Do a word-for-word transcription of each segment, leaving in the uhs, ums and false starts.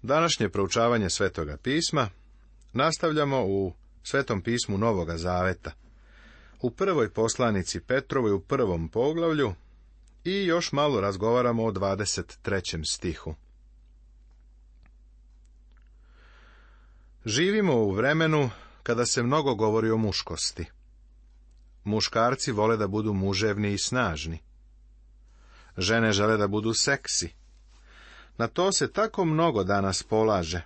Današnje proučavanje Svetoga pisma nastavljamo u Svetom pismu Novoga Zaveta, u prvoj poslanici Petrovoj u prvom poglavlju i još malo razgovaramo o dvadeset trećem stihu. Živimo u vremenu kada se mnogo govori o muškosti. Muškarci vole da budu muževni i snažni. Žene žele da budu seksi. Na to se tako mnogo danas polaže.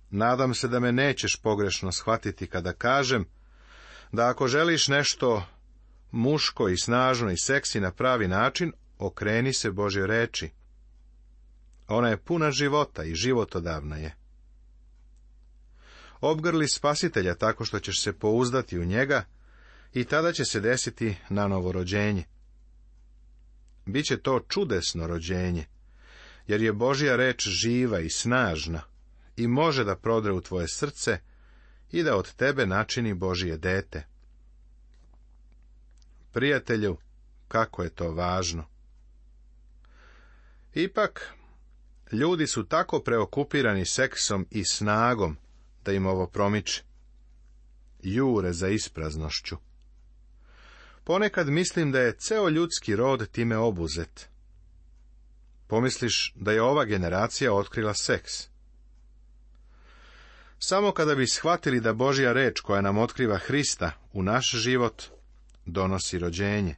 Nadam se da me nećeš pogrešno shvatiti kada kažem da ako želiš nešto muško i snažno i seksi na pravi način, okreni se Božjoj reči. Ona je puna života i životodavna je. Obgrli Spasitelja tako što ćeš se pouzdati u njega i tada će se desiti nanovo rođenje. Biće to čudesno rođenje, jer je Božja reč živa i snažna i može da prodre u tvoje srce i da od tebe načini Božje dete. Prijatelju, kako je to važno! Ipak, ljudi su tako preokupirani seksom i snagom da im ovo promiče. Jure za ispraznošću. Ponekad mislim da je ceo ljudski rod time obuzet. Pomisliš da je ova generacija otkrila seks. Samo kada bi shvatili da Božja reč koja nam otkriva Hrista u naš život donosi rođenje,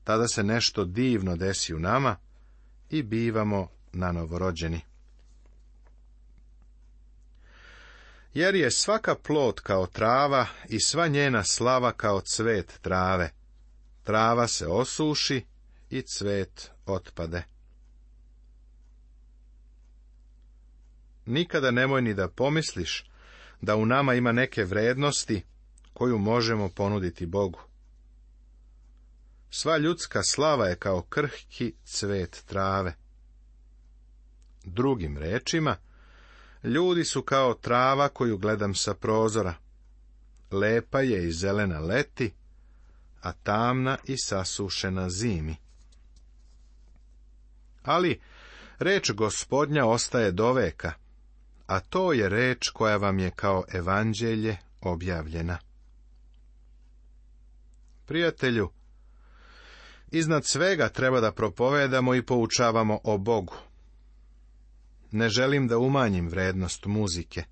tada se nešto divno desi u nama i bivamo nanovorođeni. Jer je svaka plod kao trava i sva njena slava kao cvet trave. Trava se osuši i cvet otpade. Nikada nemoj ni da pomisliš da u nama ima neke vrednosti koju možemo ponuditi Bogu. Sva ljudska slava je kao krhki cvet trave. Drugim rečima, ljudi su kao trava koju gledam sa prozora. Lepa je i zelena leti, a tamna i sasušena zimi. Ali reč Gospodnja ostaje do veka, a to je reč koja vam je kao evanđelje objavljena. Prijatelju, iznad svega treba da propovedamo i poučavamo o Bogu. Ne želim da umanjim vrednost muzike,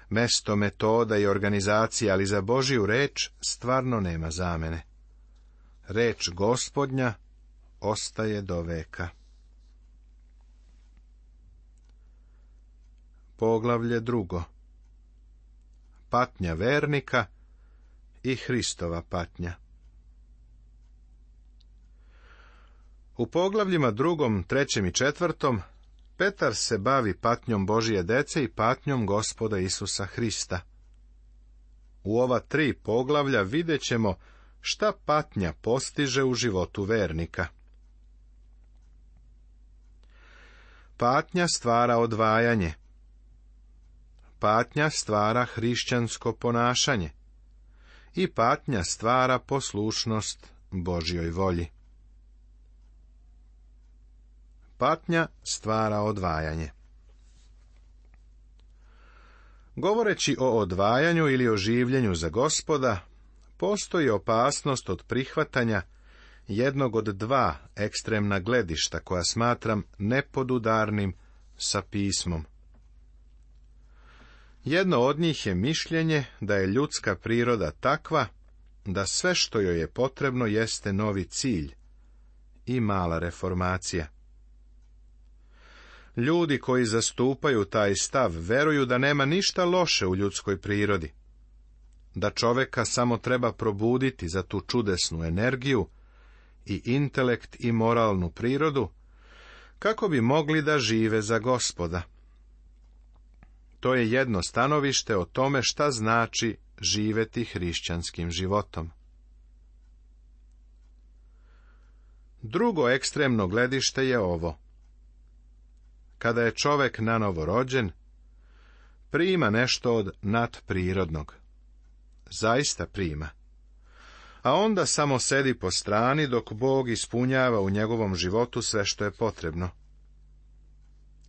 mesto metoda i organizacije, ali za Božju reč stvarno nema zamene. Reč Gospodnja ostaje do veka. Poglavlje drugo. Patnja vernika i Hristova patnja. U poglavljima drugom, trećem i četvrtom Petar se bavi patnjom Božje dece i patnjom Gospoda Isusa Hrista. U ova tri poglavlja vidjet ćemo šta patnja postiže u životu vernika. Patnja stvara odvajanje. Patnja stvara hrišćansko ponašanje. I patnja stvara poslušnost Božjoj volji. Patnja stvara odvajanje. Govoreći o odvajanju ili o življenju za Gospoda, postoji opasnost od prihvatanja jednog od dva ekstremna gledišta koja smatram nepodudarnim sa pismom. Jedno od njih je mišljenje da je ljudska priroda takva da sve što joj je potrebno jeste novi cilj i mala reformacija. Ljudi koji zastupaju taj stav veruju da nema ništa loše u ljudskoj prirodi, da čoveka samo treba probuditi za tu čudesnu energiju i intelekt i moralnu prirodu, kako bi mogli da žive za Gospoda. To je jedno stanovište o tome šta znači živeti hrišćanskim životom. Drugo ekstremno gledište je ovo. Kada je čovek nanovo rođen, prima nešto od nadprirodnog. Zaista prima. A onda samo sedi po strani dok Bog ispunjava u njegovom životu sve što je potrebno.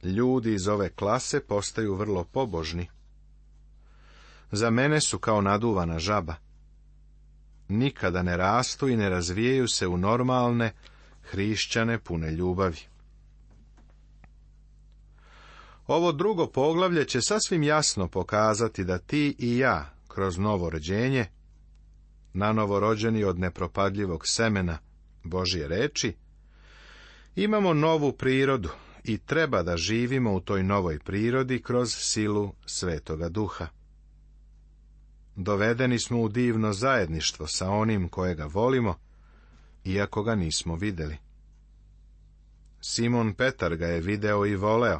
Ljudi iz ove klase postaju vrlo pobožni. Za mene su kao naduvana žaba. Nikada ne rastu i ne razvijaju se u normalne, hrišćane pune ljubavi. Ovo drugo poglavlje će sasvim jasno pokazati da ti i ja, kroz novo rođenje, nanovo rođeni od nepropadljivog semena Božje reči, imamo novu prirodu i treba da živimo u toj novoj prirodi kroz silu Svetoga Duha. Dovedeni smo u divno zajedništvo sa onim kojega volimo, iako ga nismo videli. Simon Petar ga je video i voleo,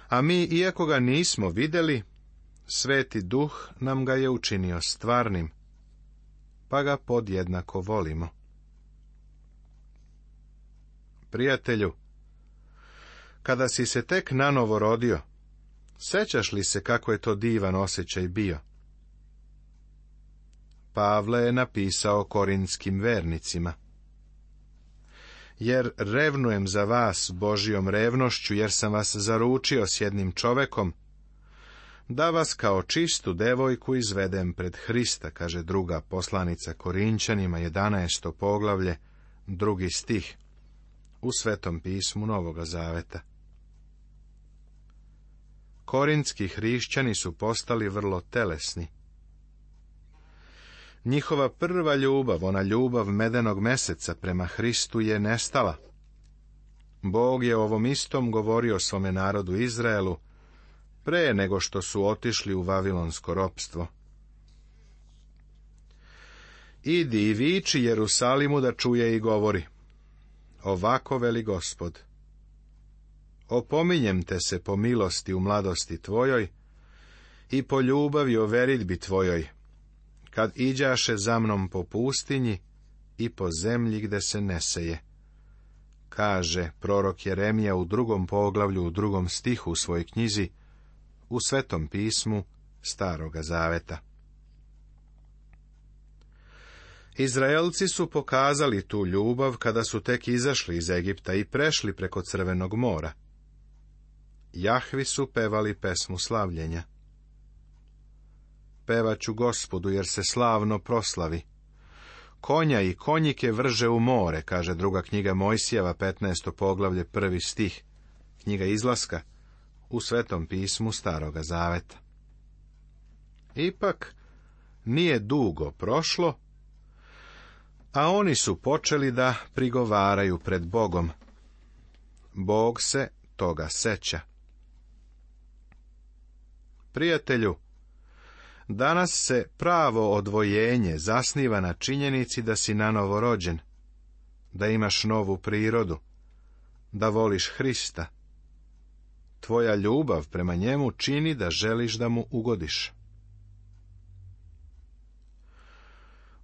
a mi, iako ga nismo videli, Sveti Duh nam ga je učinio stvarnim, pa ga podjednako volimo. Prijatelju, kada si se tek nanovo rodio, sećaš li se kako je to divan osjećaj bio? Pavle je napisao korintskim vernicima: jer revnujem za vas Božjom revnošću, jer sam vas zaručio s jednim čovekom, da vas kao čistu devojku izvedem pred Hrista, kaže druga poslanica Korinćanima, jedanaesto poglavlje, drugi stih, u Svetom pismu Novoga Zaveta. Korintski hrišćani su postali vrlo telesni. Njihova prva ljubav, ona ljubav medenog meseca prema Hristu, je nestala. Bog je ovom istom govorio svome narodu Izraelu pre nego što su otišli u vavilonsko ropstvo. Idi i viči Jerusalimu da čuje i govori: ovako veli Gospod, opominjem te se po milosti u mladosti tvojoj i po ljubavi o veridbi tvojoj, kad iđaše za mnom po pustinji i po zemlji gde se ne seje. Kaže prorok Jeremija u drugom poglavlju, u drugom stihu u svojoj knjizi, u Svetom pismu Staroga Zaveta. Izraelci su pokazali tu ljubav kada su tek izašli iz Egipta i prešli preko Crvenog mora. Jahvi su pevali pesmu slavljenja. Pevaću Gospodu, jer se slavno proslavi. Konja i konjike vrže u more, kaže druga knjiga Mojsijeva, petnaesto poglavlje, prvi stih, knjiga Izlaska, u Svetom pismu Staroga Zaveta. Ipak, nije dugo prošlo, a oni su počeli da prigovaraju pred Bogom. Bog se toga seća. Prijatelju, danas se pravo odvojenje zasniva na činjenici da si nanovo rođen, da imaš novu prirodu, da voliš Hrista. Tvoja ljubav prema njemu čini da želiš da mu ugodiš.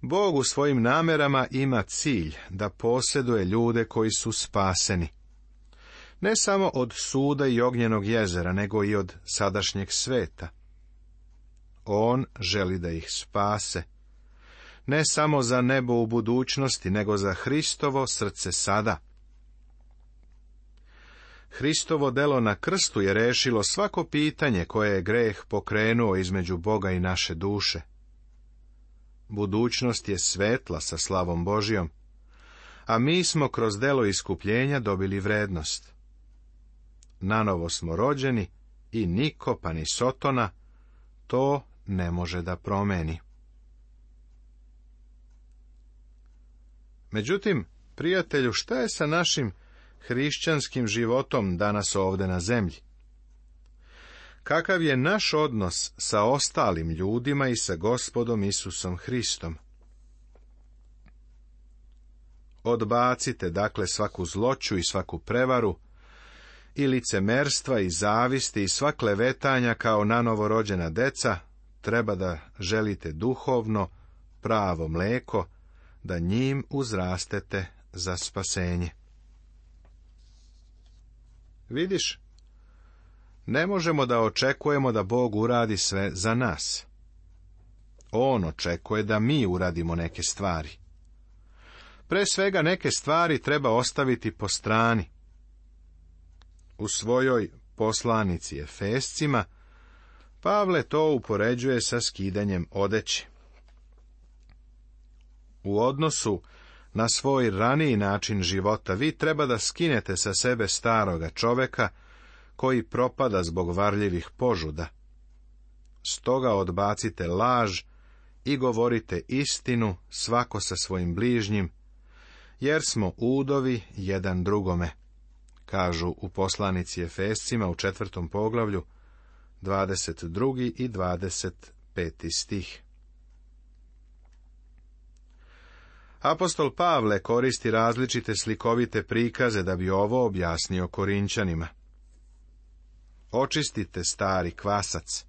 Bog u svojim namerama ima cilj da posjeduje ljude koji su spaseni. Ne samo od suda i ognjenog jezera, nego i od sadašnjeg sveta. On želi da ih spase. Ne samo za nebo u budućnosti, nego za Hristovo srce sada. Hristovo delo na krstu je rešilo svako pitanje koje je greh pokrenuo između Boga i naše duše. Budućnost je svetla sa slavom Božjom, a mi smo kroz delo iskupljenja dobili vrednost. Nanovo smo rođeni i niko, pa ni Sotona, to ne može da promeni. Međutim, prijatelju, šta je sa našim hrišćanskim životom danas ovde na zemlji? Kakav je naš odnos sa ostalim ljudima i sa Gospodom Isusom Hristom? Odbacite, dakle, svaku zloću i svaku prevaru, i licemerstva i zavisti i sva klevetanja kao nanovo rođena deca, treba da želite duhovno, pravo mleko, da njim uzrastete za spasenje. Vidiš, ne možemo da očekujemo da Bog uradi sve za nas. On očekuje da mi uradimo neke stvari. Pre svega neke stvari treba ostaviti po strani. U svojoj poslanici Efescima, Pavle to upoređuje sa skidanjem odeće. U odnosu na svoj raniji način života vi treba da skinete sa sebe staroga čoveka koji propada zbog varljivih požuda. Stoga odbacite laž i govorite istinu svako sa svojim bližnjim, jer smo udovi jedan drugome, kažu u poslanici Efescima u četvrtom poglavlju, dvadeset drugi i dvadeset peti stih. Apostol Pavle koristi različite slikovite prikaze da bi ovo objasnio Korinćanima. Očistite stari kvasac,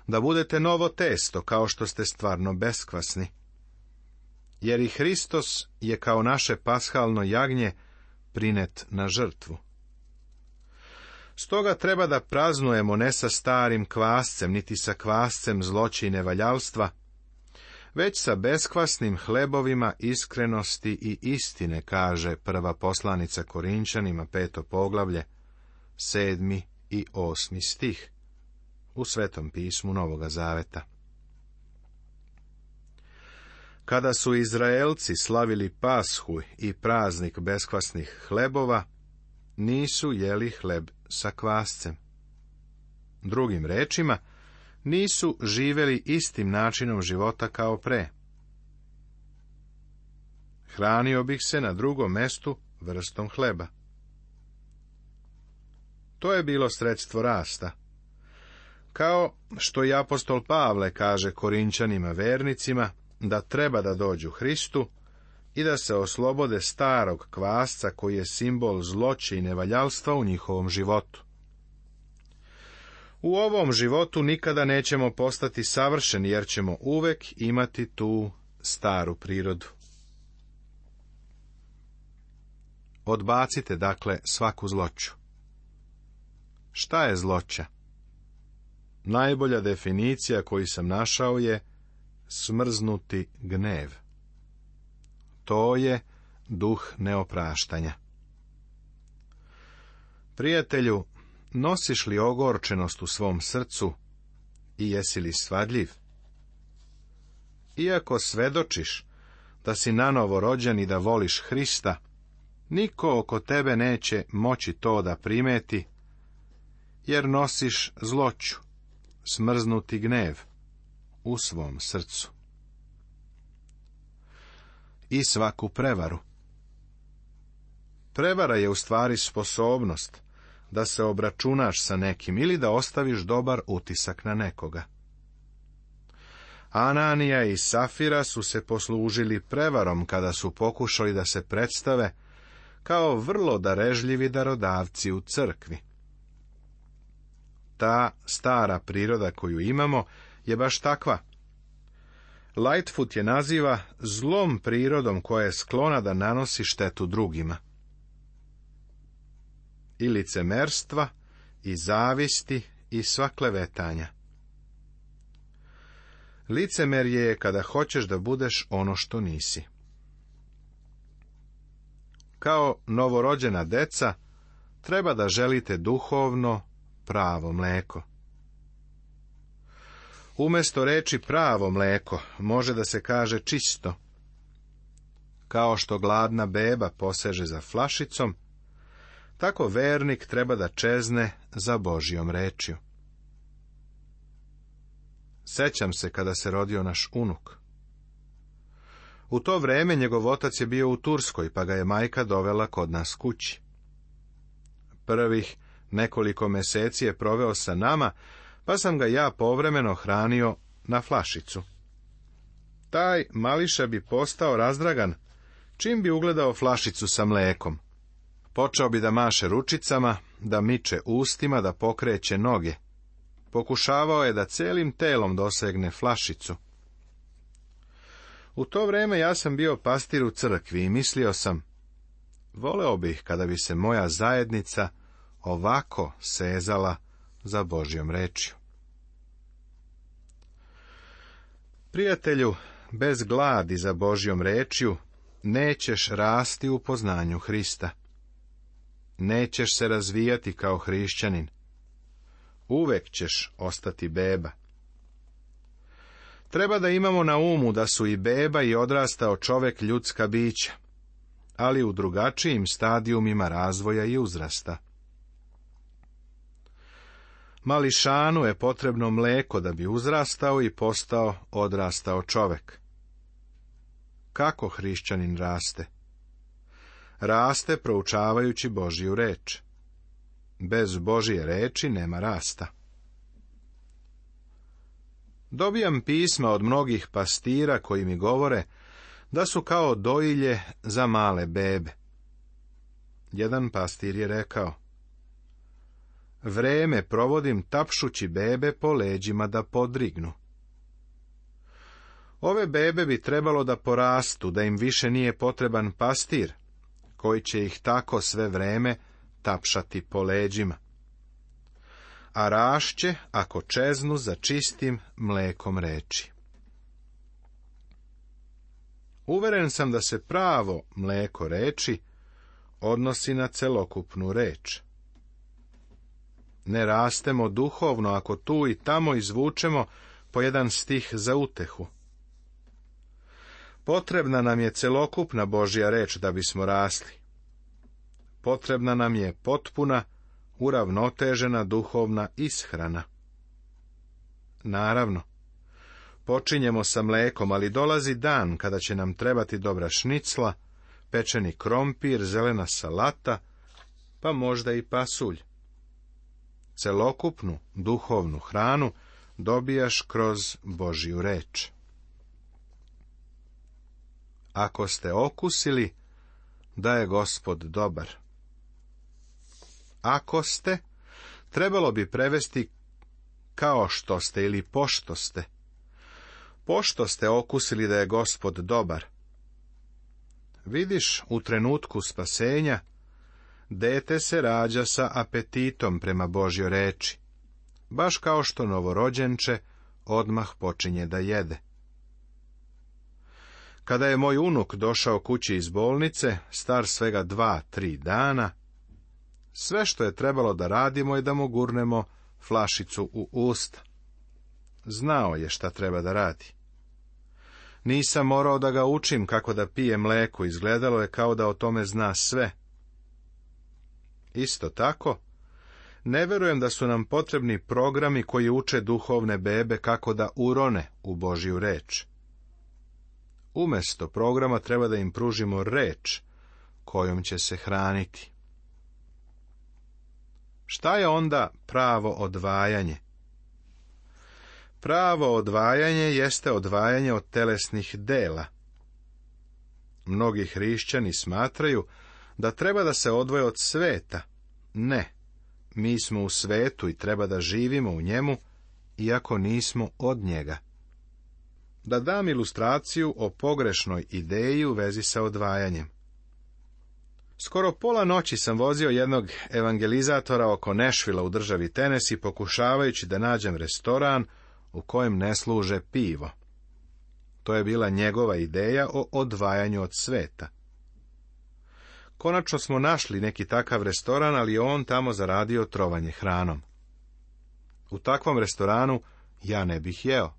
da budete novo testo kao što ste stvarno beskvasni. Jer i Hristos je kao naše pashalno jagnje prinet na žrtvu. Stoga treba da praznujemo ne sa starim kvascem, niti sa kvascem zloće i nevaljalstva, već sa beskvasnim hlebovima iskrenosti i istine, kaže prva poslanica Korinćanima, peto poglavlje, sedmi i osmi stih, u Svetom pismu Novoga Zaveta. Kada su Izraelci slavili Pashu i praznik beskvasnih hlebova, nisu jeli hleb sa kvascem. Drugim rečima, nisu živeli istim načinom života kao pre. Hranio bih se na drugom mestu vrstom hleba. To je bilo sredstvo rasta. Kao što i apostol Pavle kaže Korinćanima vernicima da treba da dođu Hristu i da se oslobode starog kvasca koji je simbol zloće i nevaljalstva u njihovom životu. U ovom životu nikada nećemo postati savršeni, jer ćemo uvek imati tu staru prirodu. Odbacite, dakle, svaku zloću. Šta je zloća? Najbolja definicija koju sam našao je smrznuti gnev. To je duh neopraštanja. Prijatelju, nosiš li ogorčenost u svom srcu i jesi li svadljiv? Iako svedočiš da si nanovo rođen i da voliš Hrista, niko oko tebe neće moći to da primeti, jer nosiš zloću, smrznuti gnev u svom srcu. I svaku prevaru. Prevara je u stvari sposobnost da se obračunaš sa nekim ili da ostaviš dobar utisak na nekoga. Ananija i Safira su se poslužili prevarom kada su pokušali da se predstave kao vrlo darežljivi darodavci u crkvi. Ta stara priroda koju imamo je baš takva. Lightfoot je naziva zlom prirodom koja je sklona da nanosi štetu drugima. I licemerstva, i zavisti, i sva klevetanja. Licemerje je kada hoćeš da budeš ono što nisi. Kao novorođena deca, treba da želite duhovno, pravo mleko. Umesto reči pravo mleko, može da se kaže čisto. Kao što gladna beba poseže za flašicom, tako vernik treba da čezne za Božjom rečju. Sećam se kada se rodio naš unuk. U to vreme njegov otac je bio u Turskoj, pa ga je majka dovela kod nas kući. Prvih nekoliko meseci je proveo sa nama, pa sam ga ja povremeno hranio na flašicu. Taj mališa bi postao razdragan čim bi ugledao flašicu sa mlekom. Počeo bi da maše ručicama, da miče ustima, da pokreće noge. Pokušavao je da celim telom dosegne flašicu. U to vreme ja sam bio pastir u crkvi i mislio sam, voleo bih kada bi se moja zajednica ovako sezala za Božjom rečju. Prijatelju, bez gladi za Božjom rečju nećeš rasti u poznanju Hrista. Nećeš se razvijati kao hrišćanin. uvek ćeš ostati beba. Treba da imamo na umu da su i beba i odrastao čovek ljudska bića, ali u drugačijim stadijumima razvoja i uzrasta. Mališanu je potrebno mleko da bi uzrastao i postao odrastao čovek. Kako hrišćanin raste? Raste proučavajući Božju reč. Bez Božje reči nema rasta. Dobijam pisma od mnogih pastira koji mi govore da su kao dojilje za male bebe. Jedan pastir je rekao: vreme provodim tapšući bebe po leđima da podrignu. Ove bebe bi trebalo da porastu, da im više nije potreban pastir, koji će ih tako sve vreme tapšati po leđima. A rašće ako čeznu za čistim mlekom reči. Uveren sam da se pravo mleko reči odnosi na celokupnu reč. Ne rastemo duhovno ako tu i tamo izvučemo po jedan stih za utehu. Potrebna nam je celokupna Božja reč da bismo rasli. Potrebna nam je potpuna, uravnotežena duhovna ishrana. Naravno, počinjemo sa mlekom, ali dolazi dan kada će nam trebati dobra šnicla, pečeni krompir, zelena salata, pa možda i pasulj. Celokupnu duhovnu hranu dobijaš kroz Božju reč. Ako ste okusili da je Gospod dobar. Ako ste, trebalo bi prevesti kao što ste ili pošto ste. Pošto ste okusili da je Gospod dobar. Vidiš, u trenutku spasenja, dete se rađa sa apetitom prema Božjoj reči, baš kao što novorođenče odmah počinje da jede. Kada je moj unuk došao kući iz bolnice, star svega dva, tri dana, sve što je trebalo da radimo je da mu gurnemo flašicu u usta. Znao je šta treba da radi. Nisam morao da ga učim kako da pije mleko, izgledalo je kao da o tome zna sve. Isto tako, ne verujem da su nam potrebni programi koji uče duhovne bebe kako da urone u Božju reč. Umesto programa treba da im pružimo reč kojom će se hraniti. Šta je onda pravo odvajanje? Pravo odvajanje jeste odvajanje od telesnih dela. Mnogi hrišćani smatraju da treba da se odvoje od sveta. Ne, mi smo u svetu i treba da živimo u njemu, iako nismo od njega. Da dam ilustraciju o pogrešnoj ideji u vezi sa odvajanjem. Skoro pola noći sam vozio jednog evangelizatora oko Nešvila u državi Tenesi, pokušavajući da nađem restoran u kojem ne služe pivo. To je bila njegova ideja o odvajanju od sveta. Konačno smo našli neki takav restoran, ali on tamo zaradio trovanje hranom. U takvom restoranu ja ne bih jeo.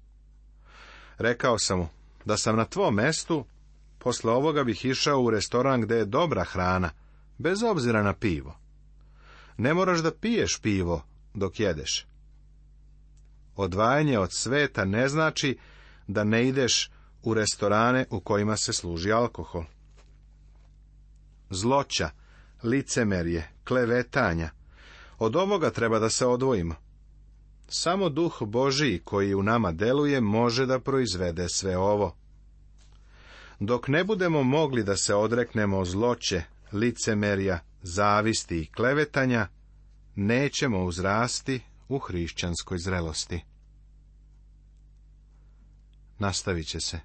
Rekao sam mu, da sam na tvom mestu, posle ovoga bih išao u restoran gde je dobra hrana, bez obzira na pivo. Ne moraš da piješ pivo dok jedeš. Odvajanje od sveta ne znači da ne ideš u restorane u kojima se služi alkohol. Zloća, licemerje, klevetanja, od ovoga treba da se odvojimo. Samo Duh Božiji koji u nama deluje može da proizvede sve ovo. Dok ne budemo mogli da se odreknemo zloće, licemerja, zavisti i klevetanja, nećemo uzrasti u hrišćanskoj zrelosti. Nastavit će se.